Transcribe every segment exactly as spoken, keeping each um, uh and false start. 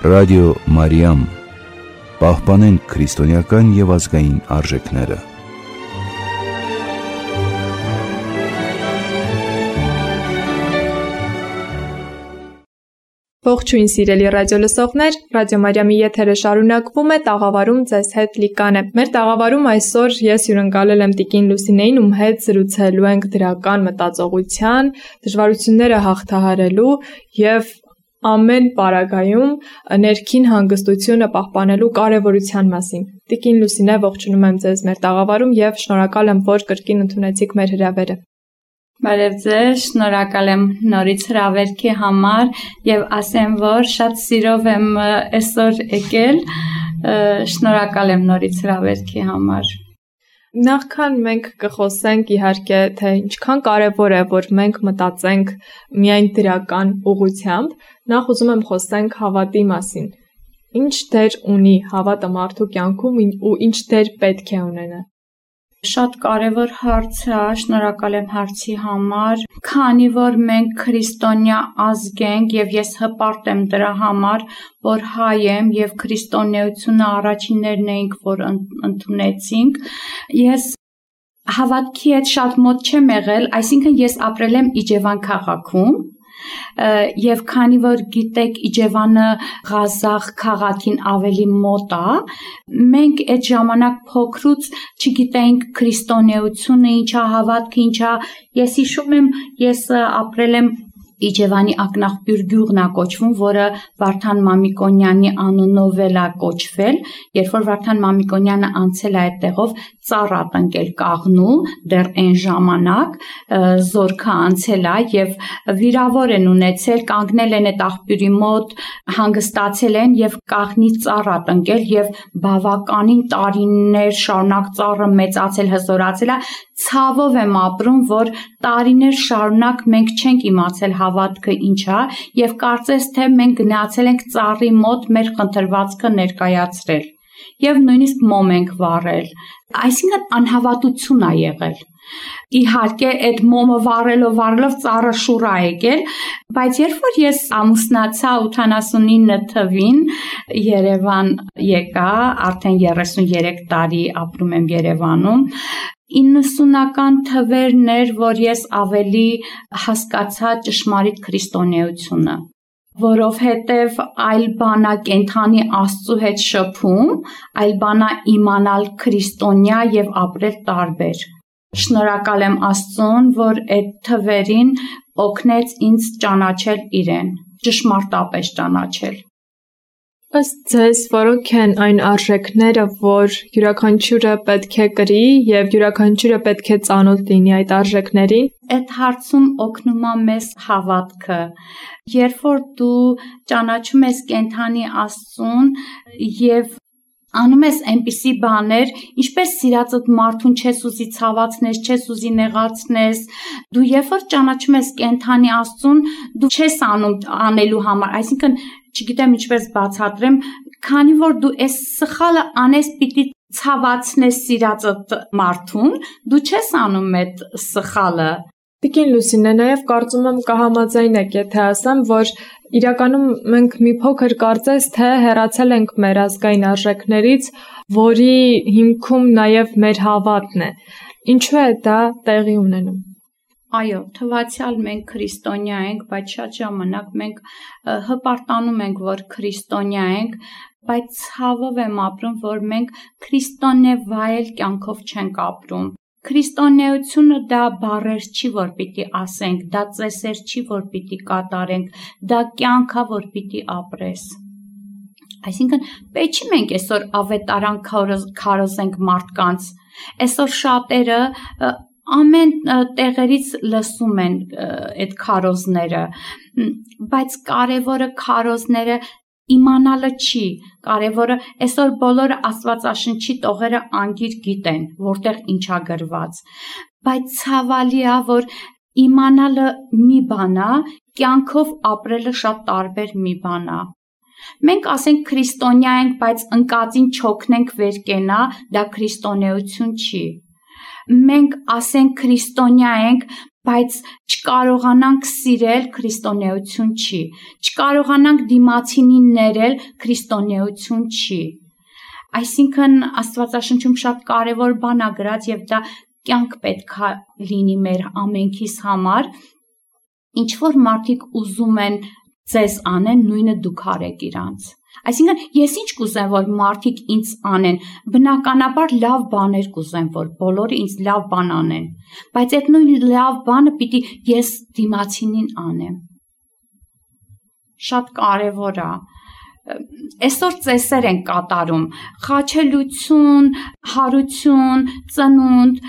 Ռադիո Մարիամ, պահպանենք քրիստոնեական և ազգային արժեքները։ Ողջույն սիրելի ռադիոլսողներ, Ռադիո Մարիամի եթերը շարունակվում է, տաղավարում ձեզ հետ Լիկան է։ Մեր տաղավարում այսօր ես հյուրընկալել եմ տիկին Լուսինեին, ում հետ զրուցելու ենք դրական մտածողության, դժվարությունները հաղթահարելու և ամեն պարագայում ներքին հանգստությունը պահպանելու կարևորության մասին։ Տիկին Լուսինե, ողջունում եմ ձեզ մեր տաղավարում և շնորհակալ եմ, որ կրկին ընդունեցիք մեր հրավերը։ Բարև ձեզ, շնորհակալ եմ նորից հրավերքի համար և ասեմ, որ շատ սիրով եմ այսօր եկել, շնորհակալ եմ նորից հրավերքի համար։ Նախքան մենք կխոսենք իհարկե, թե ինչքան կարևոր է, որ մենք մտածենք միայն դրական ուղղությամբ, նախ ուզում եմ խոսենք հավատի մասին։ Ինչ դեր ունի հավատը մարդու կյանքում ու ինչ դեր պետք է ունենա։ Շատ կարևոր հարց է, շնորհակալ եմ հարցի համար, քանի որ մենք քրիստոնյա ազգ ենք և ես հպարտ եմ դրա համար, որ հայ եմ և քրիստոնեությունը առաջիններն էինք, որ ընդունեցինք, ես հավատքի հետ շատ մոտ չեմ եղել, այսինքն ես ապրել եմ Իջևան քաղաքում, և քանի որ գիտեք Իջևանը Ղազախ քաղաքին ավելի մոտ է, մենք այդ ժամանակ փոքրուց չգիտեինք քրիստոնեությունը, ինչա հավատքը, ինչա, ես հիշում եմ, ես ապրել եմ Իջևանի ակնաղբյուր գյուղն է կոչվում, որը Վարդան Մամիկոնյանի անունով էլ է կոչվել, երբ որ Վարդան Մամիկոնյանը անցել է այդ տեղով, ծառ է տնկել կաղնու, դեռ այն ժամանակ զորքը անցել է և վիրավոր են ունեցել, կանգնել են այդ աղբյուրի մոտ, հանգստացել են և կաղնի ծառ է տնկել և բավականին տարիներ շարունակ ծառը մեծացել, հզորացել է, ցավով եմ ապրում, որ տարիներ շարունակ մենք չենք իմացել հավատքը ինչ է և կարծես թե մենք գնացել ենք ծառի մոտ մեր խնդրվածքը ներկայացրել և նույնիսկ մոմ ենք վառել, այսինքն անհավատություն է եղել։ Իհարկե այդ մոմը վառելով վառելով ծառը շուռ է եկել, բայց երբ որ ես ամուսնացա ութանասունինը թվին Երևան եկա, արդեն երեսուներեք տարի ապրում եմ Երևանում, իննսունական թվերն էր, որ ես ավելի հասկացա ճշմարիտ քրիստոնեությունը, որովհետև այլ բան է կենդանի Աստծու հետ շփում, այլ բան է իմանալ քրիստոնյա և ապրել տարբեր։ Շնորհակալ եմ Աստծուն, որ այդ թվերին օգնեց ինձ ճանաչել իրեն, ճշմարտապես ճանաչել։ Ըստ ձեզ, որոնք են այն արժեքները, որ յուրաքանչյուրը պետք է կրի և յուրաքանչյուրը պետք է ծանոթ լինի այդ արժեքներին։ Այդ հարցում օգնում է մեզ հավատքը։ Երբ որ դու ճանաչում ես կենդանի Աստծուն և անում ես այնպիսի բաներ, ինչպես սիրածդ մարդուն չես ուզի ցավացնես, չես ուզի նեղացնես, դու երբ որ ճանաչում ես կենդանի Աստծուն, դու չես անում անելու համար, այսինքն չգիտեմ ինչպես բացատրեմ, քանի որ դու այս սխալը անես պիտի ցավացնես սիրածդ մարդուն, դու չես անում այդ սխալը։ Տիկին Լուսինե, նաև կարծում եմ կհամաձայնեք, եթե ասեմ, որ իրականում մենք մի փոքր կարծես թե հեռացել ենք մեր ազգային արժեքներից, որի հիմքում նաև մեր հավատն է։ Ինչու է դա տեղի ունենում։ Այո, թվացյալ մենք քրիստոնյա ենք, բայց շատ ժամանակ մենք հպարտանում ենք, որ քրիստոնյա ենք, բայց ցավով եմ ապրում, որ մենք քրիստոնե վայել կյանքով չենք ապրում։ Քրիստոնեությունը դա բառեր չի, որ պիտի ասենք, դա ծեսեր չի, որ պիտի կատարենք, դա կյանք է, որ պիտի ապրես։ Այսինքն պետք չի մենք այսօր ավետարան քարոզենք մարդկանց, այսօր շատերը ամեն տեղերից լսում են այդ քարոզները, բայց կարևորը քարոզները իմանալը չի, կարևորը այսօր բոլորը Աստվածաշնչի տողերը անգիր գիտեն, որտեղ ինչ է գրված, բայց ցավալի է, որ իմանալը մի բան է, կյանքով ապրելը շատ տարբեր մի բան է։ Մենք ասենք քրիստոնյա ենք, բայց ընկածին չօգնենք վեր կենա, դա քրիստոնեություն չի։ Մենք ասենք քրիստոնյա ենք, բայց չկարողանանք սիրել քրիստոնեություն չի, չկարողանանք դիմացինին ներել քրիստոնեություն չի։ Այսինքն Աստվածաշնչում շատ կարևոր բան ա գրած եւ դա կյանք պետք է լինի մեր ամենքիս համար, ինչ որ մարդիկ ուզում են ձեզ անեն, նույնը դուք արեք իրանց։ Այսինքն ես ինչ կուզեմ, որ մարդիկ ինձ անեն, բնականաբար լավ բաներ կուզեմ, որ բոլորը ինձ լավ բան անեն, բայց այդ նույն լավ բանը պիտի ես դիմացինին անեմ։ Շատ կարևոր է։ Այսօր ծեսեր են կատարում, խաչելություն, հարություն, ծնունդ,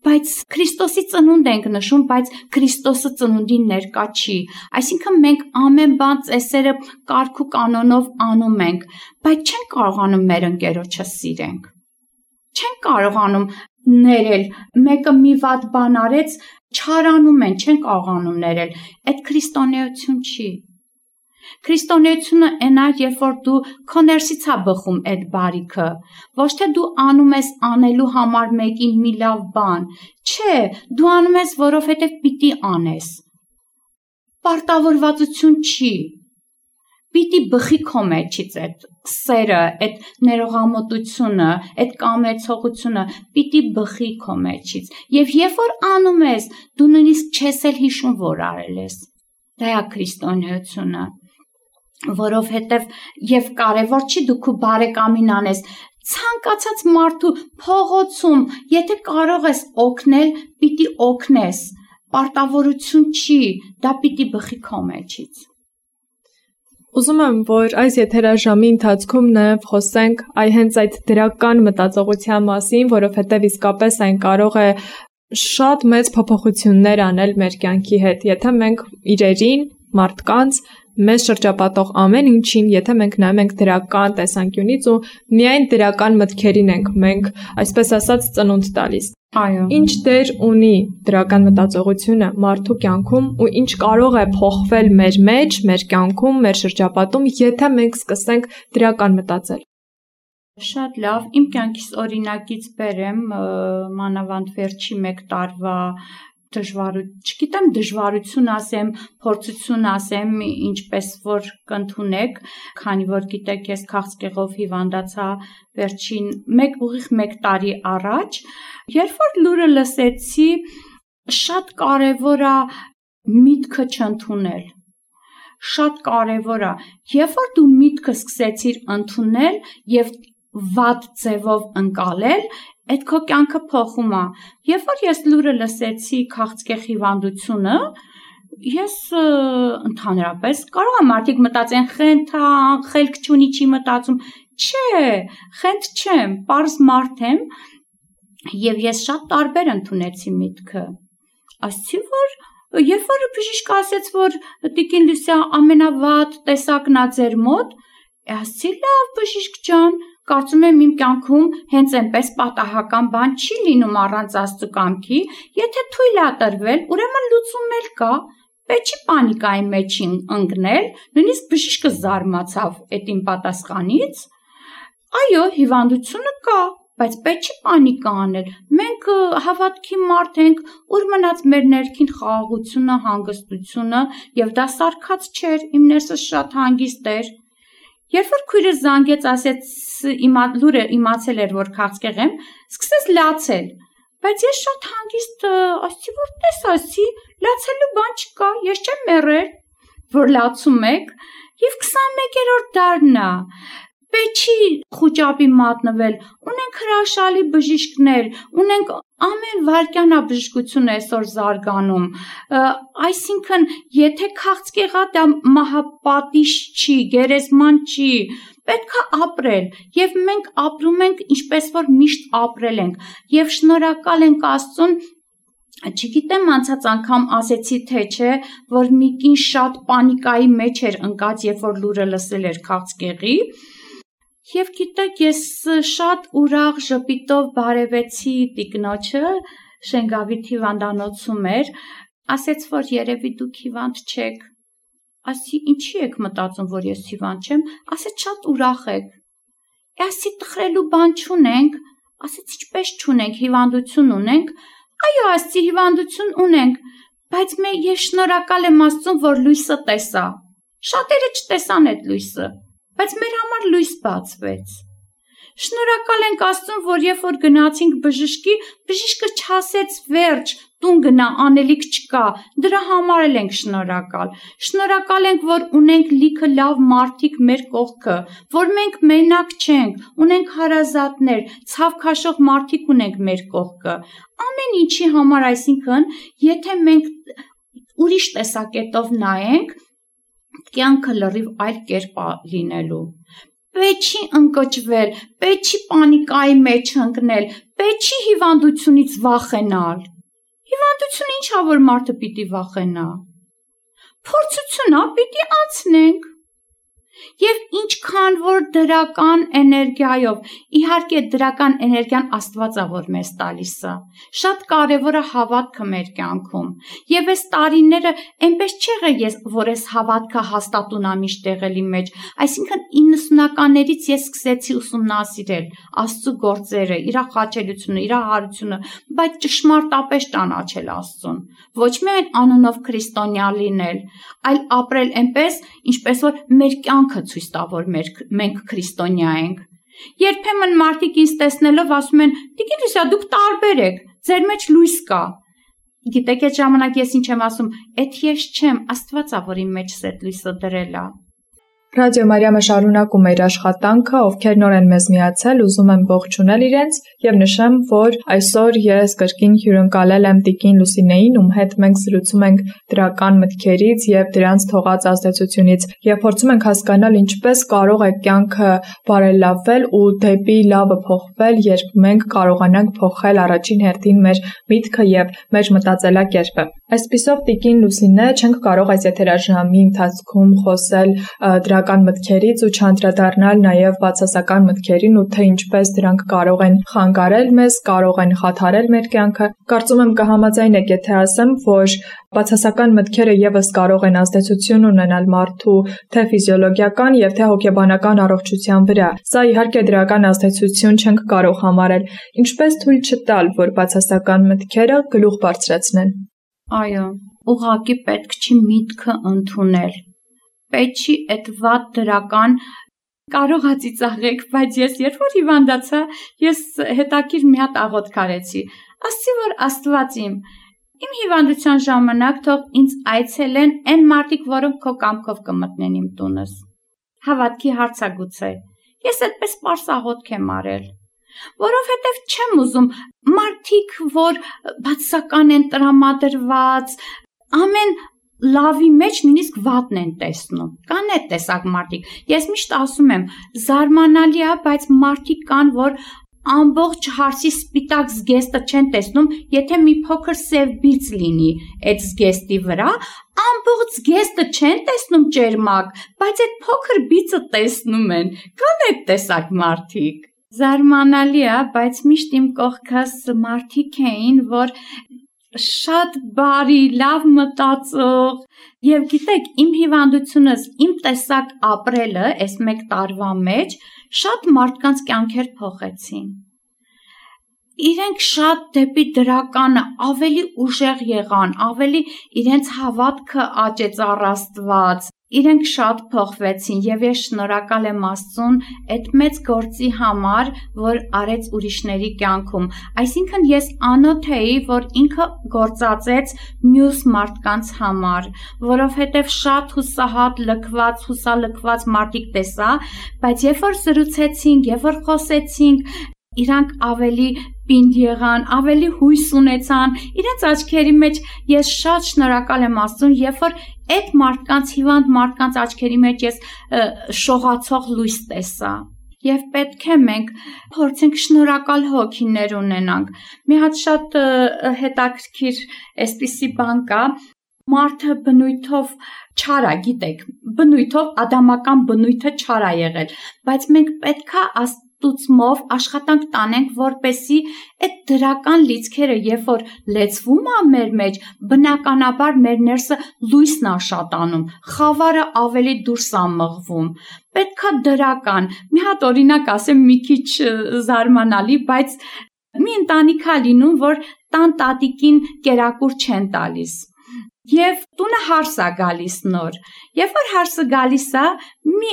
բայց Քրիստոսի ծնունդ ենք նշում, բայց Քրիստոսը ծնունդին ներկա չի։ Այսինքն մենք ամեն բան ծեսերը կարգ ու կանոնով անում ենք, բայց չենք կարողանում մեր ընկերոջը սիրենք։ Չենք կարողանում ներել, մեկը մի վատ բան արեց, չարանում են, չեն կարողանում ներել։ Այդ քրիստոնեություն չի։ Քրիստոնեությունը այն է, երբ որ դու քո ներսից ա բխում այդ բարիքը, ոչ թե դու անում ես անելու համար մեկին մի լավ բան, չէ, դու անում ես, որովհետև պիտի անես։ Պարտավորվածություն չի։ Պիտի բխի քո մեջից այդ սերը, այդ ներողամտությունը, այդ կամեցողությունը, պիտի բխի քո մեջից։ Եվ երբ որ անում ես, դու նույնիսկ չես էլ հիշում, որ արել ես։ Դա է քրիստոնեությունը։ Որովհետև եւ կարևոր չի դու քո բարեկամին անես, ցանկացած մարդու փողոցում, եթե կարող ես օգնել, պիտի օգնես, պարտավորություն չի, դա պիտի բխի քո մեջից։ Ուզում եմ, որ այս եթերաժամի ընթացքում նաև խոսենք այ հենց այդ դրական մտածողության մասին, որովհետև իսկապես այն կարող է շատ մեծ փոփոխություններ անել մեր կյանքի հետ, եթե մենք իրերին, մարդկանց, մեզ շրջապատող ամեն ինչին, եթե մենք նայում ենք դրական տեսանկյունից ու միայն դրական մտքերին ենք մենք, այսպես ասած, ծնունդ տալիս։ Այո։ Ինչ դեր ունի դրական մտածողությունը մարդու կյանքում ու ինչ կարող է փոխվել մեր մեջ, մեր կյանքում, մեր շրջապատում, եթե մենք սկսենք դրական մտածել։ Շատ լավ, իմ կյանքից օրինակից բերեմ, մանավանդ վերջի մեկ տարվա դժվարություն, չգիտեմ դժվարություն ասեմ, փորձություն ասեմ, ինչպես որ կընդունեք, քանի որ գիտեք, ես քաղցկեղով հիվանդացա վերջին մեկ ուղիղ մեկ տարի առաջ, երբ որ լուրը լսեցի, շատ կարևոր է միտքը չընդունել։ Շատ կարևոր է, երբ որ դու միտքը սկսեցիր ընդունել եւ վատ ձևով ընկալել, այդ քո կյանքը փոխում է։ Երբ որ ես լուրը լսեցի քաղցկեղ հիվանդությունը, ես ընդհանրապես կարող եմ մարդիկ մտածեն խենթ է, խելք չունի, չի մտածում։ Չէ, խենթ չեմ, պարզ մարդ եմ, եւ ես շատ տարբեր ընդունեցի միտքը։ Ասեցի, որ երբ որ բժիշկը ասեց, որ Տիկին Լուսիա ամենավատ տեսակն է ձեր մոտ, ասեցի, լավ բժիշկ ջան, կարծում եմ իմ կյանքում հենց այնպես պատահական բան չի լինում առանց Աստծո կամքի, եթե թույլ է տրվել, ուրեմն լուծում էլ կա, պետք չի պանիկայի մեջ ընկնել, նույնիսկ բժիշկը զարմացավ այդ իմ պատասխանից։ Այո, հիվանդությունը կա, բայց պետք չի պանիկա անել։ Մենք հավատքի մարդ ենք, ուր մնաց մեր ներքին խաղաղությունը, հանգստությունը, եւ դա սարքած չէր, իմ ներսս շատ հանգիստ էր։ Երբ որ քույրս զանգեց, ասեց իմա լուրը իմացել էր, որ քաղցկեղ եմ, սկսեց լացել, բայց ես շատ հանգիստ ասեցի, որ տես ասի, լացելու բան չկա, ես չեմ մեռել, որ լացում եք, եւ քսանմեկերորդ դարն է, պետք չի խոճապի մատնվել, ունենք հրաշալի բժիշկներ, ունենք ամեն վայրկյանա բժշկությունը այսօր զարգանում, այսինքն եթե քաղցկեղա դա մահապատիժ չի, գերեզման չի, պետք է ապրել եւ մենք ապրում ենք ինչպես որ միշտ ապրել ենք եւ շնորհակալ ենք Աստծուն, չգիտեմ անցած անգամ ասեցի թե չէ, որ մի կին շատ պանիկայի մեջ էր ընկած, երբ որ լուրը լսել էր քաղցկեղի։ Եվ գիտեք, ես շատ ուրախ ժպիտով բարևեցի տիկնոջը, Շենգավիթ հիվանդանոցում էր, ասեց, որ երևի դուք հիվանդ չեք, ասի ինչի եք մտածում, որ ես հիվանդ չեմ, ասեց շատ ուրախ եք, ասի տխրելու բան չունենք, ասեց ինչպես չունենք, հիվանդություն ունենք, այո ասի հիվանդություն ունենք, բայց մե ես շնորհակալ եմ Աստծուն, որ լույսը տեսա։ Շատերը չտեսան այդ լույսը, բայց մեր համար լույս բացվեց։ Շնորհակալ ենք Աստծուն, որ երբ որ գնացինք բժշկի, բժիշկը չասեց վերջ, տուն գնա, անելիք չկա, դրա համար էլ ենք շնորհակալ։ Շնորհակալ ենք, որ ունենք լիքը լավ մարդիկ մեր կողքը, որ մենք մենակ չենք, ունենք հարազատներ, ցավ քաշող մարդիկ ունենք մեր կողքը։ Ամեն ինչի համար, այսինքն, եթե մենք ուրիշ տեսակետով նայենք, կյանքը լրիվ այլ կերպ է լինելու։ Պետք չի ընկճվել, պետք չի պանիկայի մեջ ընկնել, պետք չի հիվանդությունից վախենալ։ Հիվանդությունը ինչա որ մարդը պիտի վախենա։ Փորձությունա պիտի անցնենք։ Եվ ինչքան որ դրական էներգիայով, իհարկե դրական էներգիան Աստված է որ մեզ տալիս է։ Շատ կարևոր է հավատքը մեր կյանքում։ Եվ այս տարիները այնպես չեղել ես, որ այս հավատքը հաստատուն ամիշտ եղելի մեջ, այսինքն իննսունականներից ես սկսեցի ուսումնասիրել Աստծո գործերը, իր խաչելությունը, իր հարությունը, բայց ճշմարտապես ճանաչել Աստծուն։ Ոչ միայն անունով քրիստոնյա լինել, այլ ապրել այնպես, ինչպես որ մեր կյանքը ցույց տա, որ մենք քրիստոնյա ենք։ Երբեմն մարդիկ ինձ տեսնելով ասում են. «Տիկին Լուսիա, դուք տարբեր եք, ձեր մեջ լույս կա»։ Գիտեք այդ ժամանակ ես ինչ եմ ասում, «Էդ ես չեմ, Աստված է, որ իմ մեջ այդ լույսը դրել է»։ Ռադիո Մարիամը շարունակում է իր աշխատանքը, ովքեր նոր են մեզ միացել, ուզում եմ ողջունել իրենց եւ նշեմ, որ այսօր ես կրկին հյուրընկալել եմ Տիկին Լուսինեին, ում հետ մենք զրուցում ենք դրական մտքերից եւ դրանց թողած ազդեցությունից եւ փորձում ենք հասկանալ ինչպես կարող է կյանքը բարելավել ու դեպի լավը փոխվել, երբ մենք կարողանանք փոխել առաջին հերթին մեր միտքը եւ մեր մտածելակերպը։ Այսպիսով Տիկին Լուսինե չենք կարող այս եթերաժամի ընթացքում խոսել դրական մտքերից ու չանդրադառնալ նաև բացասական մտքերին ու թե ինչպես դրանք կարող են խանգարել մեզ, կարող են խաթարել մեր կյանքը։ Կարծում եմ կհամաձայնեք, եթե ասեմ, որ բացասական մտքերը եւս կարող են ազդեցություն ունենալ մարդու թե ֆիզիոլոգիական եւ թե հոգեբանական առողջության վրա։ Սա իհարկե դրական ազդեցություն չենք կարող համարել։ Ինչպես թույլ չտալ, որ բացասական մտքերը գլուխ բարձրացնեն։ Այո, ուղղակի պետք չի միտքը ընդունել։ Պետք չի այդ վատ դրական կարող է ծիծաղեք, բայց ես երբ որ հիվանդացա, ես հետաքրքիր մի հատ աղոթք արեցի։ Ասացի, որ Աստված իմ, իմ հիվանդության ժամանակ թող ինձ այցելեն այն մարդիկ, որոնք քո կամքով կմտնեն իմ տունս։ Հավատքի հարց է գուցե։ Ես այդպես պարզ աղոթք եմ արել։ Որովհետև չեմ ուզում մարդիկ, որ բացասական են տրամադրված, ամեն լավի մեջ նույնիսկ վատն են տեսնում։ Կան այդ տեսակ մարդիկ։ Ես միշտ ասում եմ, զարմանալի է, բայց մարդիկ կան, որ ամբողջ հարսի սպիտակ զգեստը չեն տեսնում, եթե մի փոքր սև բիծ լինի այդ զգեստի վրա, ամբողջ զգեստը չեն տեսնում ճերմակ, բայց այդ փոքր բիծը տեսնում են։ Կան այդ տեսակ մարդիկ։ Զարմանալի է, բայց միշտ իմ կողքս մարդիկ էին, որ շատ բարի, լավ մտածող, եւ գիտեք, իմ հիվանդությունս, իմ տեսակ ապրելը, այս մեկ տարվա մեջ, շատ մարդկանց կյանքեր փոխեցին։ Իրենք շատ դեպի դրականը ավելի ուժեղ եղան, ավելի իրենց հավատքը աճեց առ Աստված, իրենք շատ փոխվեցին եւ ես շնորհակալ եմ Աստծուն այդ մեծ գործի համար, որ արեց ուրիշների կյանքում։ Այսինքն ես անոթ էի, որ ինքը գործածեց մյուս մարդկանց համար, որովհետեւ շատ հուսահատ, լքված, հուսալքված մարդիկ տեսա, բայց երբ որ զրուցեցինք, երբ որ խոսեցինք, իրանք ավելի պինդ եղան, ավելի հույս ունեցան, իրենց աչքերի մեջ ես շատ շնորհակալ եմ Աստծուն, երբ որ այդ մարդկանց, հիվանդ մարդկանց աչքերի մեջ ես շողացող լույս տեսա։ Եվ պետք է մենք փորձենք շնորհակալ հոգիներ ունենանք։ Մի հատ շատ հետաքրքիր այսպիսի բան կա, մարդը բնույթով չար է, գիտեք, բնույթով ադամական բնույթը չար է եղել, բայց մենք պետք է ստուցմով աշխատանք տանենք, որպեսի այդ դրական լիցքերը, երբ որ լեցվում է մեր մեջ, բնականաբար մեր ներսը լույսն է շատանում, խավարը ավելի դուրս է մղվում։ Պետք է դրական, մի հատ օրինակ ասեմ, մի քիչ զարմանալի, բայց մի ընտանիք է լինում, որ տան տատիկին կերակուր չեն տալիս։ Եվ տունը հարս է գալիս նոր։ Երբ որ հարսը գալիս է, մի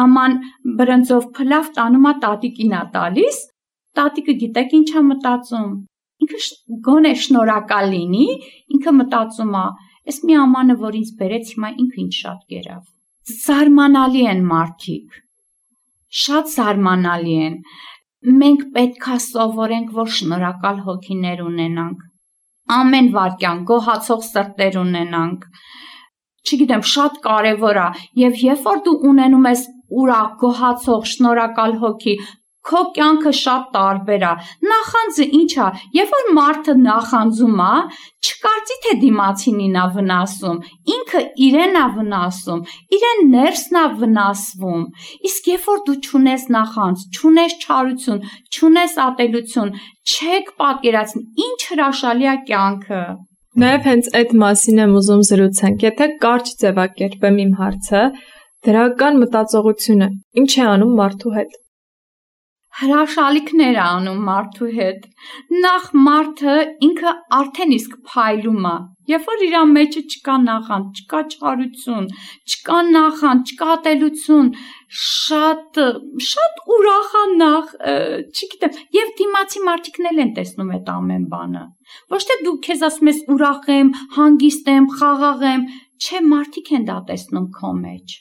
աման բրնձով փլավ տանում է տատիկին է տալիս, տատիկը գիտեք ինչ է մտածում։ Ինքը գոնե շնորհակալ լինի, ինքը մտածում է, այս մի ամանը, որ ինձ բերեց, հիմա ինքը ինչ շատ կերավ։ Զարմանալի են մարդիկ։ Շատ զարմանալի են։ Մենք պետք է սովորենք, որ շնորհակալ հոգիներ ունենանք։ Ամեն վարքյան գոհացող սրտեր ունենանք։ Չգիտեմ, շատ կարևոր է, եւ երբ որ դու ունենում ես ուրախ, գոհացող, շնորհակալ հոգի, քո կյանքը շատ տարբեր է։ Նախանձը ինչ է, երբ որ մարդը նախանձում է, չկարծի թե դիմացինին է վնասում, ինքը իրեն է վնասում, իրեն ներսն է վնասվում։ Իսկ երբ որ դու չունես նախանձ, չունես չարություն, չունես ատելություն, չեք պատկերացնի ինչ հրաշալի է կյանքը։ Նաև հենց այդ մասին եմ ուզում զրուցենք։ Եթե կարճ ձևակերպեմ իմ հարցը, դրական մտածողությունը ինչ է անում մարդու հետ։ Հրաշալիքներ է անում մարդու հետ։ Նախ մարդը ինքը արդեն իսկ փայլում է։ Երբ որ իր մեջը չկա նախանձ, չկա չարություն, չկա նախանձ, չկա ատելություն, շատ շատ ուրախ է նախ, չգիտեմ, եւ դիմացի մարդիկն էլ են տեսնում այդ ամեն բանը։ Ոչ թե դու քեզ ասում ես ուրախ եմ, հանգիստ եմ, խաղաղ եմ, չէ, մարդիկ են դա տեսնում քո մեջ։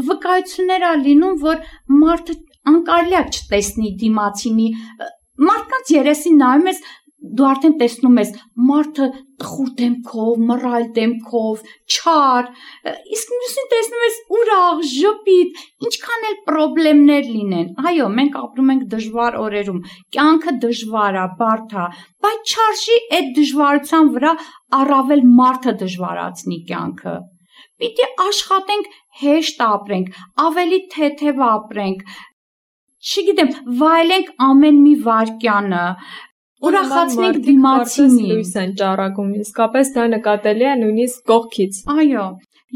Վկայություններ է լինում, որ մարդը անկարելի է չտեսնի դիմացինի, մարդկանց երեսին նայում ես, դու արդեն տեսնում ես մարդը տխուր դեմքով, մռայլ դեմքով, չար, իսկ մյուսին տեսնում ես ուրախ, ժպիտ, ինչքան էլ պրոբլեմներ լինեն։ Այո, մենք ապրում ենք դժվար օրերում, կյանքը դժվար է, բարդ է, բայց չարժի այդ դժվարության վրա առավել մարդը դժվարացնի կյանքը։ Պիտի աշխատենք հեշտ ապրենք, ավելի թեթև ապրենք, չգիտեմ, վայելենք ամեն մի վայրկյանը, ուրախացնենք դիմացինին։ Լույս են ճառագում, իսկապես դա նկատելի է նույնիսկ կողքից։ Այո,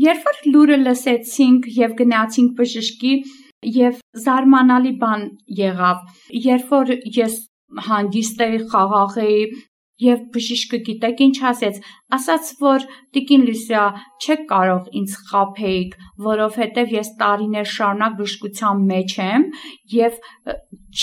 երբ որ լուրը լսեցինք եւ գնացինք բժշկի, եւ զարմանալի բան եղավ, երբ որ ես հանգիստ էի, խաղաղ էի, եւ բժիշկը գիտեք ինչ ասեց, ասաց, որ տիկին Լուսիա, չեք կարող ինձ խաբեիք, որովհետեւ ես տարիներ շարունակ բժշկության մեջ եմ եւ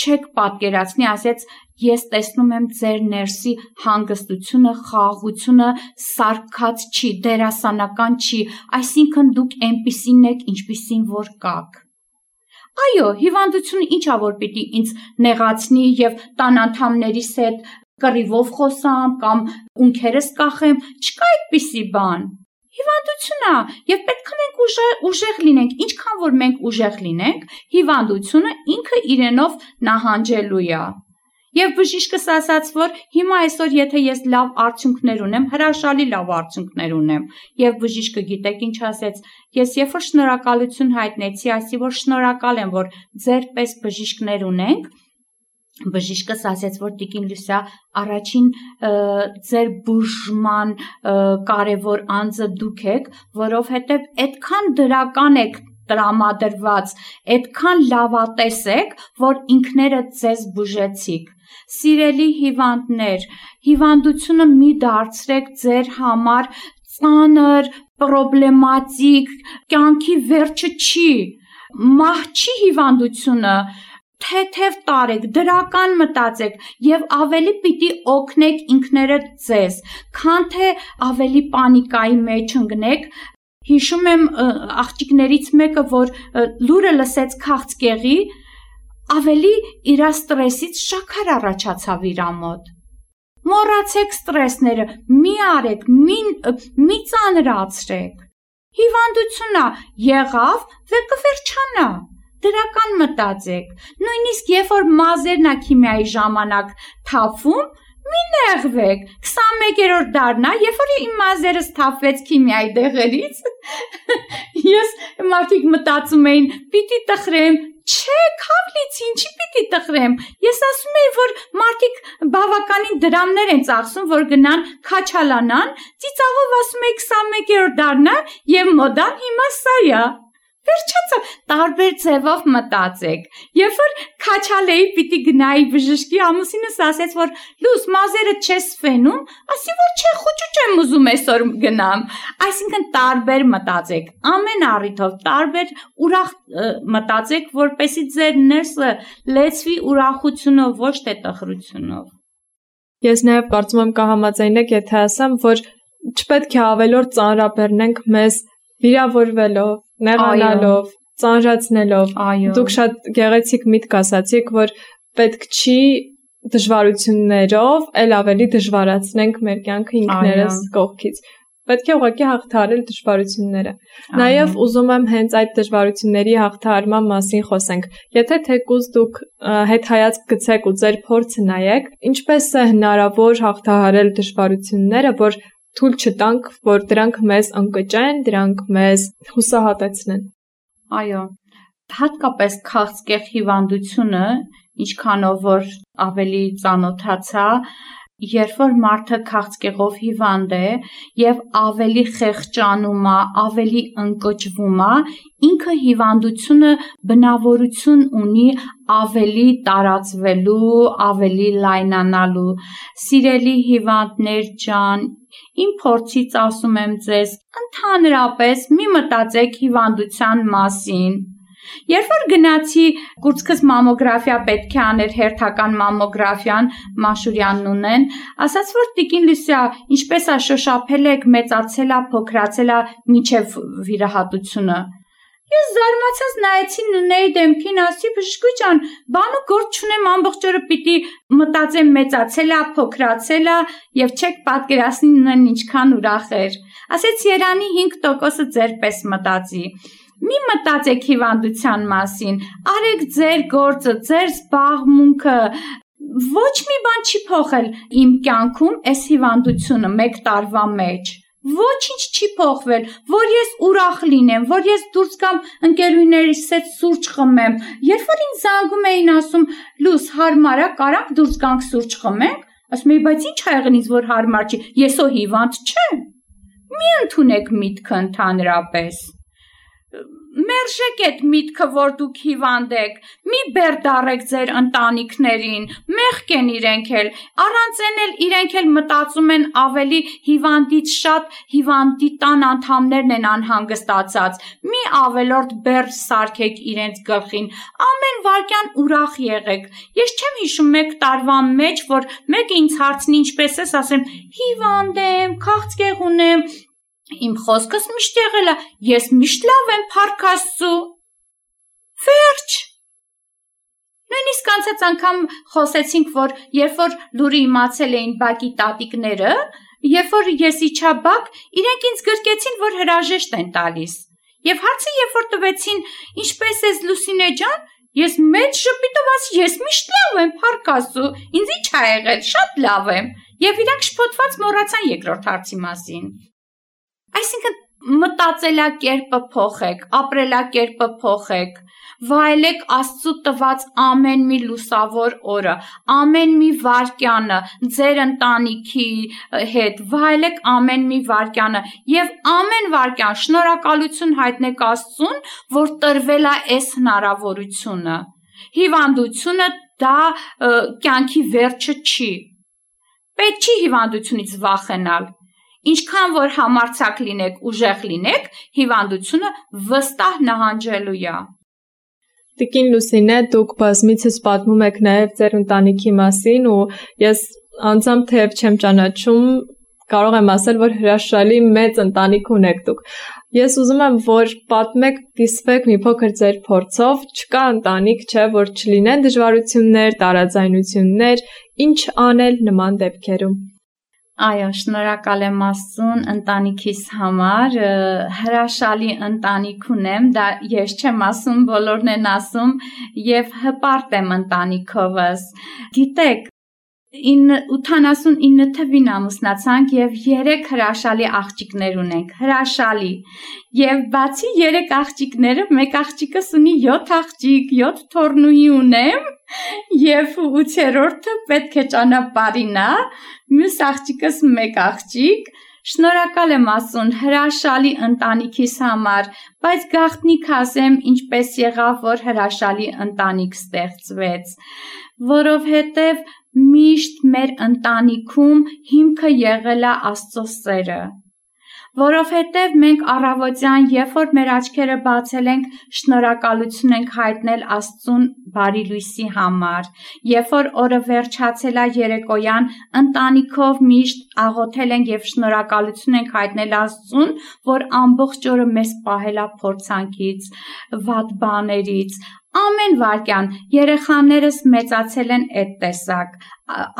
չեք պատկերացնի, ասեց, ես տեսնում եմ ձեր ներսի հանգստությունը, խաղաղությունը, սարքած չի, դերասանական չի, այսինքն դուք այնպիսին եք, ինչպիսին որ կաք։ Այո, հիվանդությունը ինչ է, որ պիտի ինձ նեղացնի եւ տան անդամներիս հետ կռիվով խոսամ կամ ունքերս կախեմ, չկա այդպիսի բան։ Հիվանդություն է, եւ պետք է մենք ուժեղ լինենք, ինչքան որ մենք ուժեղ լինենք, հիվանդությունը ինքը իրենով նահանջելու է։ Եվ բժիշկս ասաց, որ հիմա այսօր եթե ես լավ արդյունքներ ունեմ, հրաշալի լավ արդյունքներ ունեմ, եւ բժիշկը գիտեք ինչ ասեց, ես երբ որ շնորհակալություն հայտնեցի, ասի որ շնորհակալ եմ, որ ձեր պես բժիշկներ ունենք, բժիշկս ասեց, որ տիկին Լուսիա, առաջին ձեր բուժման կարևոր անձը դուք եք, որովհետև այդքան դրական եք տրամադրված, այդքան լավատես եք, որ ինքներդ ձեզ բուժեցիք։ Սիրելի հիվանդներ, հիվանդությունը մի դարձրեք ձեր համար ծանր, պրոբլեմատիկ, կյանքի վերջը չի, մահ չի հիվանդությունը, թեթև տարեք, դրական մտածեք եւ ավելի պիտի օգնեք ինքներդ ձեզ, քան թե ավելի պանիկայի մեջ ընկնեք։ Հիշում եմ աղջիկներից մեկը, որ լուրը լսեց քաղցկեղի, ավելի իր ստրեսից շաքար առաջացավ իր մոտ։ Մոռացեք ստրեսները, մի արեք, մի, մի ծանրացրեք։ Հիվանդությունն եղավ, və կվերջանա։ Դրական մտածեք, նույնիսկ երբ որ մազերն ա քիմիայի ժամանակ թափվում, մի նեղվեք, քսանմեկերորդ դարն ա, երբ որ իմ մազերս թափվեց քիմիայի դեղերից, ես մարդիկ մտածում էին, պիտի տխրեմ, չէ, քավլից ինչի պիտի տխրեմ, ես ասում էի, որ մարդիկ բավականին դրամներ են ծախսում, որ գնան քաչալանան, ծիծաղով ասում էի քսանմեկերորդ դարն ա, եւ մոդան հիմա սա է։ Վերջացա, տարբեր ձևով մտածեք։ Երբ որ քաչալեի պիտի գնայի բժշկի, ամուսինս ասեց, որ լույս մազերը չես ֆենում, ասի որ չէ, խուճուճ եմ ուզում այսօր գնամ։ Այսինքն տարբեր մտածեք, ամեն առիթով տարբեր ուրախ մտածեք, որպեսզի ձեր ներսը լեցվի ուրախությունով, ոչ թե տխրությունով։ Ես նաև կարծում եմ կհամաձայնեք, եթե ասեմ, որ չպետք է ավելորդ ծանրաբեռնենք մեզ վիրավորվելով, նեղանալով, ծանրացնելով։ Դուք շատ գեղեցիկ միտք ասացիք, որ պետք չի դժվարություններով էլ ավելի դժվարացնենք մեր կյանքը ինքներս կողքից։ Պետք է ուղղակի հաղթահարել դժվարությունները։ Նաև ուզում եմ հենց այդ դժվարությունների հաղթահարման մասին խոսենք։ Եթե թեկուզ դուք հետհայացք գցեք ու ձեր փորձը նայեք, ինչպես է հնարավոր հաղթահարել դժվարությունները, որ թույլ չտանք, որ դրանք մեզ ընկճեն, դրանք մեզ հուսահատեցնեն։ Այո, հատկապես քաղցկեղ հիվանդությունը, ինչքանով որ ավելի ծանոթացա, երբ որ մարդը քաղցկեղով հիվանդ է եւ ավելի խեղճանում է, ավելի ընկճվում է, ինքը հիվանդությունը բնավորություն ունի ավելի տարածվելու, ավելի լայնանալու։ Սիրելի հիվանդներ ջան, իմ փորձից ասում եմ ձեզ, ընդհանրապես մի մտածեք հիվանդության մասին։ Երբ որ գնացի կուրծքս մամոգրաֆիա պետք է աներ հերթական մամոգրաֆիան, Մաշուրյանն ունեն, ասաց որ տիկին Լուսիա, ինչպես է շոշափել եք, մեծացել է, փոքրացել է մինչև վիրահատությունը։ Ես զարմացած նայեցի Նունեի դեմքին, ասի բժշկուհի ջան, բան ու գործ չունեմ, ամբողջ օրը պիտի մտածեմ մեծացել է, փոքրացել է եւ չեք պատկերացնի Նունեն ինչքան ուրախ էր։ Ասեց Երանի հինգ տոկոսը ձեր պես մտածի։ Մի մտածեք հիվանդության մասին, արեք ձեր գործը, ձեր զբաղմունքը, ոչ մի բան չի փոխել իմ կյանքում այս հիվանդությունը մեկ տարվա մեջ, ոչինչ չի փոխվել, որ ես ուրախ լինեմ, որ ես դուրս գամ ընկերուհիներիս հետ սուրճ խմեմ, երբ որ ինձ զանգում էին ասում, լույս հարմար է, կարանք դուրս գանք սուրճ խմենք, ասում եի, բայց ինչ ա եղել ինձ, որ հարմար չի, ես ո հիվանդ չեմ, մի ընդունեք միտքը ընդհանրապես։ Մերժեք այդ միտքը, որ դուք հիվանդ եք, մի բերդառեք ձեր ընտանիքներին, մեղք են իրենք էլ, առանց են էլ իրենք էլ մտածում են ավելի հիվանդից շատ հիվանդի տան անդամներն են անհանգստացած, մի ավելորդ բերդ սարքեք իրենց գլխին, ամեն վարքյան ուրախ եղեք, ես չեմ հիշում մեկ տարվա մեջ, որ մեկը ինձ հարցնի ինչպես ես, ասեմ հիվանդ եմ, քաղցկեղ ունեմ, Իմ խոսքս միշտ եղել է, ես միշտ լավ եմ, փառք Աստծու։ Վերջ։ Նույնիսկ անցած անգամ խոսեցինք, որ երբ որ լուրը իմացել էին բակի տատիկները, երբ որ ես իջա բակ, իրենք ինձ գրկեցին, որ հրաժեշտ են տալիս։ Եվ հարցը երբ որ տվեցին, ինչպես ես Լուսինե ջան, ես մեծ շփիտով ասի, ես միշտ լավ եմ, փառք Աստծու, ինձ ինչ ա եղել, շատ լավ եմ։ Եվ իրանք շփոթված մոռացան երկրորդ հարցի մասին։ Այսինքն մտածելակերպը փոխեք, ապրելակերպը փոխեք, վայելեք Աստծու տված ամեն մի լուսավոր օրը, ամեն մի վայրկյանը ձեր ընտանիքի հետ, վայելեք ամեն մի վայրկյանը եւ ամեն վայրկյան շնորհակալություն հայտնեք Աստծուն, որ տրվել է այս հնարավորությունը։ Հիվանդությունը դա կյանքի վերջը չի։ Պետք չի հիվանդությունից վախենալ։ Ինչքան որ համարձակ լինեք, ուժեղ լինեք, հիվանդությունը վստահ նահանջելու է։ Տիկին Լուսինե, դուք բազմիցս պատմում եք նաև ձեր ընտանիքի մասին ու ես անձամբ թեև չեմ ճանաչում, կարող եմ ասել, որ հրաշալի մեծ ընտանիք ունեք դուք։ Ես ուզում եմ, որ պատմեք, կիսվեք մի փոքր ձեր փորձով, չկա ընտանիք, չէ, որ չլինեն դժվարություններ, տարաձայնություններ, ինչ անել նման դեպքերում։ Այո, շնորհակալ եմ Աստծուն ընտանիքիս համար, հրաշալի ընտանիք ունեմ, դա ես չեմ ասում, բոլորն են ասում եւ հպարտ եմ ընտանիքովս։ Գիտեք, ութանասունինը թվին ամուսնացանք եւ երեք հրաշալի աղջիկներ ունենք, հրաշալի։ Եւ բացի երեք աղջիկները, մեկ աղջիկս ունի յոթ աղջիկ, յոթ թոռնուհի ունեմ եւ ութերորդը պետք է ճանապարհին է, մյուս աղջիկս մեկ աղջիկ, Շնորհակալ եմ Աստծուն հրաշալի ընտանիքիս համար, բայց գաղտնիք ասեմ, ինչպես եղավ, որ հրաշալի ընտանիք ստեղծվեց, որովհետև միշտ մեր ընտանիքում հիմքը եղել է Աստծո սերը, որովհետև մենք առավոտյան, երբ որ մեր աչքերը բացել ենք, շնորհակալություն ենք հայտնել Աստծուն բարի լույսի համար, երբ որ օրը վերջացել է երեկոյան, ընտանիքով միշտ աղոթել ենք եւ շնորհակալություն ենք հայտնել Աստծուն, որ ամբողջ օրը մեզ պահել է փորձանքից, վատ բաներից, ամեն վարքյան երեխաներս մեծացել են այդ տեսակ,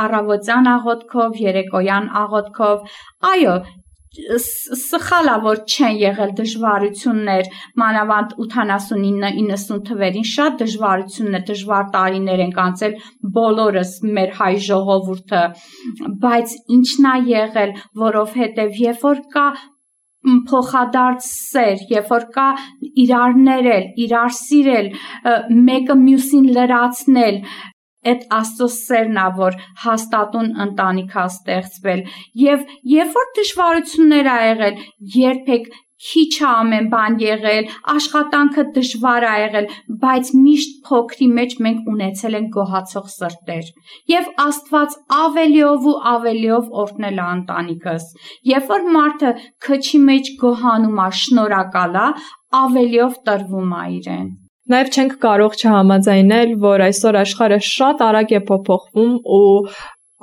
առավոտյան աղոթքով, երեկոյան աղոթքով, այո, սխալ է, որ չեն եղել դժվարություններ, մանավանդ ութանասունինը իննսուն թվերին շատ դժվարություններ, դժվար տարիներ ենք անցել բոլորս մեր հայ ժողովուրդը, բայց ինչն է եղել, որովհետև երբ որ կա փոխադարձ սեր, երբ որ կա իրար ներել, իրար սիրել, մեկը մյուսին լրացնել, այդ Աստծո սերն է, որ հաստատուն ընտանիք է ստեղծվել, եւ երբ որ դժվարություններ ա եղել, երբեք քիչ է ամեն բան եղել, աշխատանքը դժվար ա եղել, բայց միշտ փոքրի մեջ մենք ունեցել ենք գոհացող սրտեր, եւ Աստված ավելիով ու ավելիով օրհնել է ընտանիքս, երբ որ մարդը քչի մեջ գոհանում է, շնորհակալ է, ավելիով տրվում է իրեն։ Նաև չենք կարող չհամաձայնել, որ այսօր աշխարհը շատ արագ է փոփոխվում ու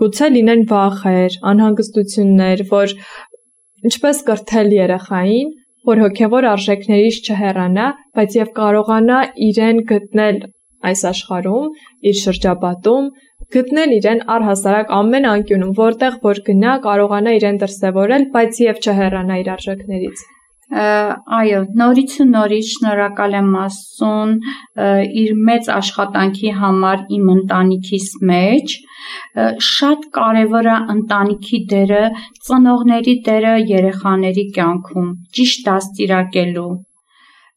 գուցե լինեն վախեր, անհանգստություններ, որ ինչպես կրթել երեխային, որ հոգևոր արժեքներից չհեռանա, բայց եւ կարողանա իրեն գտնել այս աշխարհում, իր շրջապատում, գտնել իրեն առհասարակ ամեն անկյունում, որտեղ որ գնա, կարողանա իրեն դրսևորել, բայց եւ չհեռանա իր արժեքներից։ Այո, նորից ու նորից շնորհակալ եմ Աստծուն իր մեծ աշխատանքի համար իմ ընտանիքիս մեջ, շատ կարևոր է ընտանիքի դերը, ծնողների դերը երեխաների կյանքում, ճիշտ դաստիարակելու։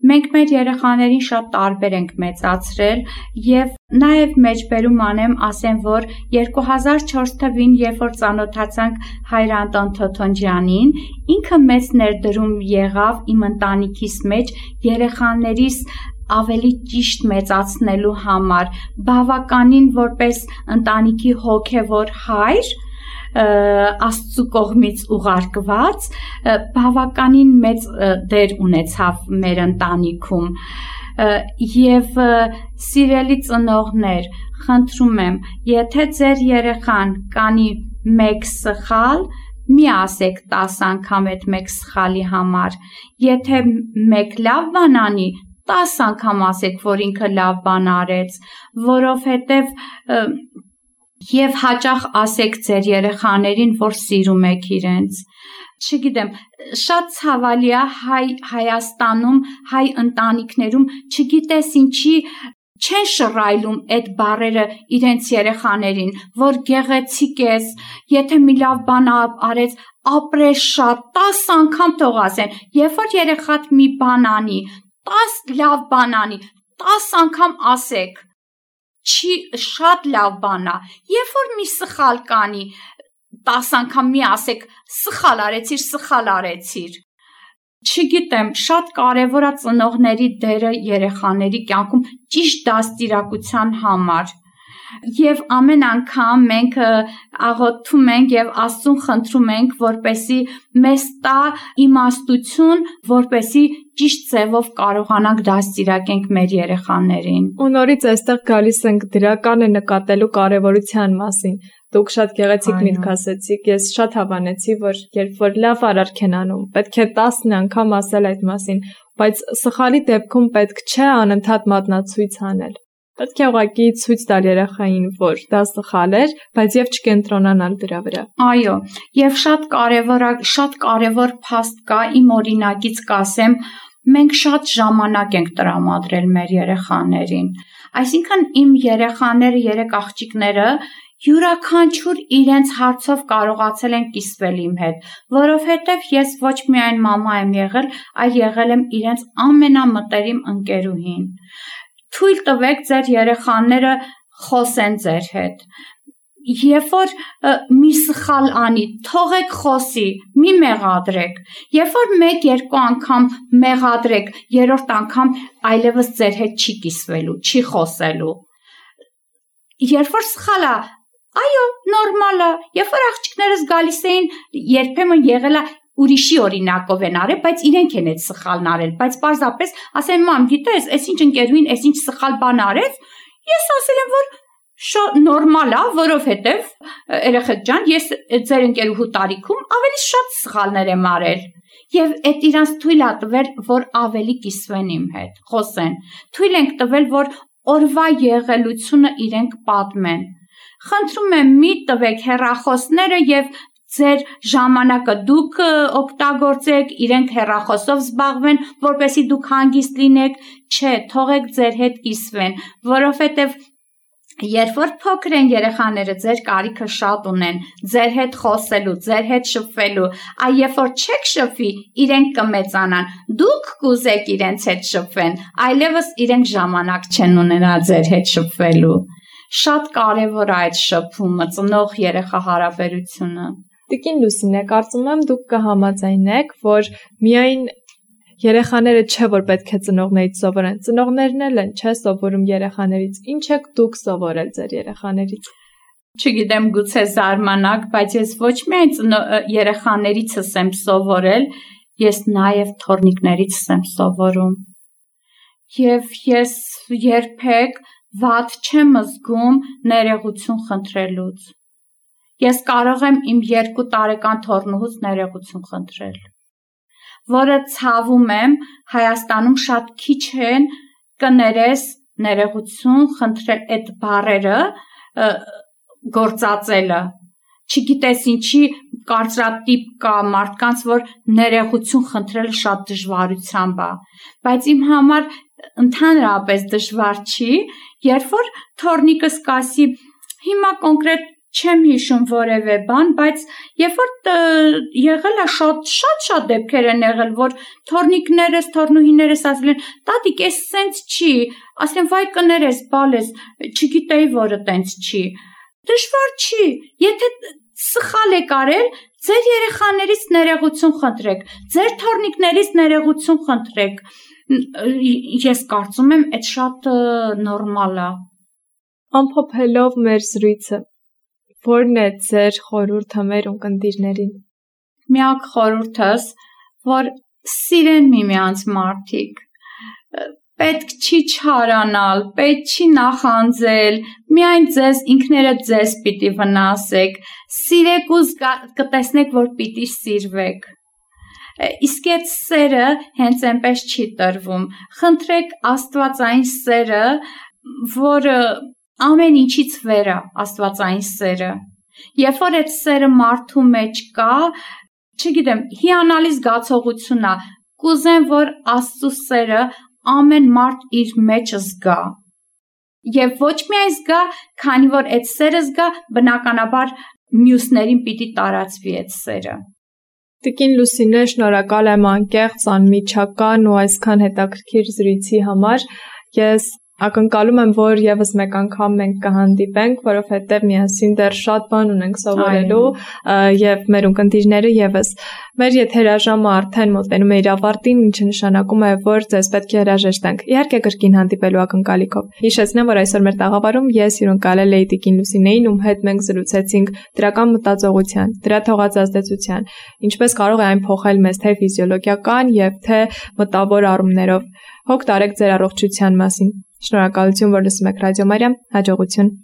Մենք մեր երեխաներին շատ տարբեր ենք մեծացրել եւ նաեւ մեջբերում անեմ, ասեմ, որ երկու հազար չորս թվին, երբ որ ծանոթացանք հայր Անտոն Թոթոնջյանին, ինքը մեծ ներդրում եղավ իմ ընտանիքիս մեջ երեխաներիս ավելի ճիշտ մեծացնելու համար, բավականին որպես ընտանիքի հոգևոր հայր, Աստծու կողմից ուղարկված, բավականին մեծ դեր ունեցավ մեր ընտանիքում եւ սիրելի ծնողներ, խնդրում եմ, եթե ձեր երեխան կանի մեկ սխալ, մի ասեք տաս անգամ այդ մեկ սխալի համար, եթե մեկ լավ բան անի, տաս անգամ ասեք, որ ինքը լավ բան արեց, որովհետեւ Եվ հաճախ ասեք ձեր երեխաներին, որ սիրում եք իրենց։ Չգիտեմ, շատ ցավալի է հայ Հայաստանում, հայ ընտանիքներում, չգիտես ինչի չեն շռայլում այդ բառերը իրենց երեխաներին, որ գեղեցիկ ես, եթե մի լավ բան արեց, ապրես շատ, տաս անգամ թող ասեն, երբ որ երեխադ մի բան անի, տաս լավ բան անի, տաս անգամ ասեք։ Չի շատ լավ բան է, երբ որ մի սխալ կանի, տաս անգամ մի ասեք, սխալ արեցիր, սխալ արեցիր։ Չգիտեմ, շատ կարևոր է ծնողների դերը երեխաների կյանքում ճիշտ դաստիարակության համար։ Եվ ամեն անգամ մենք աղոթում ենք եւ Աստծուն խնդրում ենք, որպեսի մեզ տա իմաստություն, որպեսի ճիշտ ձևով կարողանանք դաստիարակենք մեր երեխաներին։ Ու նորից այստեղ գալիս ենք դրականը նկատելու կարևորության մասին։ Դուք շատ գեղեցիկ միտք ասեցիք, ես շատ հավանեցի, որ երբ որ լավ արարք են անում, պետք է տասն անգամ ասել այդ մասին, բայց սխալի դեպքում պետք չէ անընդհատ մատնացույց անել։ Պետք է ուղղակի ցույց տալ երեխային, որ դա սխալ էր, բայց եւ չկենտրոնանալ դրա վրա։ Այո, եւ շատ կարեւոր է, շատ կարեւոր փաստ կա, իմ օրինակից կասեմ, մենք շատ ժամանակ ենք տրամադրել մեր երեխաներին։ Այսինքն իմ երեխաները, երեք աղջիկները յուրաքանչյուր իրենց հարցով կարողացել են կիսվել իմ հետ, որովհետև ես ոչ միայն մամա եմ եղել, այլ եղել եմ իրենց ամենամտերիմ ընկերուհին։ Թույլ տվեք ձեր երեխաները խոսեն ձեր հետ։ երբ որ մի սխալ անի, թողեք խոսի, մի մեղադրեք։ Երբ որ մեկ երկու անգամ մեղադրեք, երրորդ անգամ այլևս ձեր հետ չի կիսվելու, չի խոսելու։ Երբ որ սխալ է, այո, նորմալ է։ Երբ որ աղջիկներս գալիս էին, երբեմն եղել է ուրիշի օրինակով են արել, բայց իրենք են այդ սխալն արել, բայց պարզապես ասեն մամ, գիտես, այսինչ ընկերուհին այսինչ սխալ բան արեց, ես ասել եմ, որ շո նորմալ է, որովհետև երեխեք ջան, ես ձեր ընկերուհու տարիքում ավելի շատ սխալներ եմ արել, եւ այդ իրանց թույլ է տվել, որ ավելի կիսվեն իմ հետ, խոսեն, թույլ ենք տվել, որ օրվա եղելությունը իրենք պատմեն։ Խնդրում եմ, մի տվեք հեռախոսները եւ ձեր ժամանակը դուք օգտագործեք, իրենք հեռախոսով զբաղվեն, որպեսզի դուք հանգիստ լինեք, չէ, թողեք ձեր հետ կիսվեն, որովհետև երբ որ փոքր են երեխաները, ձեր կարիքը շատ ունեն, ձեր հետ խոսելու, ձեր հետ շփվելու, այ երբ որ չեք շփվի, իրենք կմեծանան, դուք կուզեք իրենց հետ շփվեն, այլևս իրենք ժամանակ չեն ունենա ձեր հետ շփվելու։ Շատ կարևոր է այդ շփումը, ծնող երեխա հարաբերությունը։ Տիկին Լուսինե, կարծում եմ դուք կհամաձայնեք, որ միայն երեխաները չէ, որ պետք է ծնողներից սովորեն, ծնողներն էլ են, չէ, սովորում երեխաներից։ Ինչ եք դուք սովորել ձեր երեխաներից։ Չգիտեմ, գուցե զարմանաք, բայց ես ոչ միայն երեխաներիցս եմ սովորել, ես նաև թորնիկներիցս եմ սովորում։ Եվ ես երբեք վատ չեմ զգում ներողություն խնդրելուց։ Ես կարող եմ իմ երկու տարեկան թոռնուհուց ներողություն խնդրել, որը ցավում եմ, Հայաստանում շատ քիչ են կներես ներողություն խնդրել այդ բառերը գործածելը։ Չգիտես ինչի կարծրատիպ կա մարդկանց, որ ներողություն խնդրելը շատ դժվարությամբ է, բայց իմ համար ընդհանրապես դժվար չի, երբ որ թոռնիկս կասի, հիմա կոնկրետ չեմ հիշում որևէ բան, բայց երբ որ եղել է շատ շատ շատ դեպքեր են եղել, որ թոռնիկներս, թոռնուհիներս ասել են, տատիկ, էս սենց չի, ասեմ, վայ կներես, բալես, չգիտեի, որը տենց չի։ Դժվար չի, եթե սխալ եք արել, ձեր երեխաներից ներողություն խնդրեք, ձեր թոռնիկներից ներողություն խնդրեք։ Ես կարծում եմ, այդ շատ նորմալ է։ Ամփոփելով մեր զրույցը, որն է ձեր խորհուրդը մեր ունկնդիրներին։ Միակ խորհուրդս, որ սիրեն միմյանց մարդիկ, պետք չի չարանալ, պետք չի նախանձել, միայն ձեզ ինքներդ ձեզ պիտի վնասեք, սիրեք ու կտեսնեք, որ պիտի սիրվեք։ Իսկ այդ սերը հենց այնպես չի տրվում։ Խնդրեք աստվածային սերը, որը ամեն ինչից վեր է աստվածային սերը։ Երբ որ այդ սերը մարդու մեջ կա, չգիտեմ, հիանալի զգացողություն է, կուզեմ, որ Աստծո սերը ամեն մարդ իր մեջ զգա։ Եվ ոչ միայն զգա, քանի որ այդ սերը զգա, բնականաբար մյուսներին պիտի տարածվի այդ սերը։ Տիկին Լուսինե, շնորհակալ եմ անկեղծ, անմիջական ու այսքան հետաքրքիր զրույցի համար։ Ես ակնկալում եմ, որ եւս մեկ անգամ մենք կհանդիպենք, որովհետեւ միասին դեռ շատ բան ունենք սովորելու եւ մեր ունկնդիրները եւս։ Մեր եթերաժամը արդեն մոտենում է իր ավարտին, ինչը նշանակում է, որ ձեզ պետք է հրաժեշտենք։ Իհարկե կրկին հանդիպելու ակնկալիքով։ Հիշեցնեմ, որ այսօր մեր տաղավարում ես հյուրընկալել էի Տիկին Լուսինեին, ում հետ մենք զրուցեցինք դրական մտածողության, դրա թողած ազդեցության, ինչպես կարող է այն փոխել մեզ թե ֆիզիոլոգիական եւ թե մտավոր առումներով։ Հոգ տարեք ձեր առողջության մասին։ Շնորհակալություն, որ լսում եք Ռադիո Մարիամ, հաջողություն։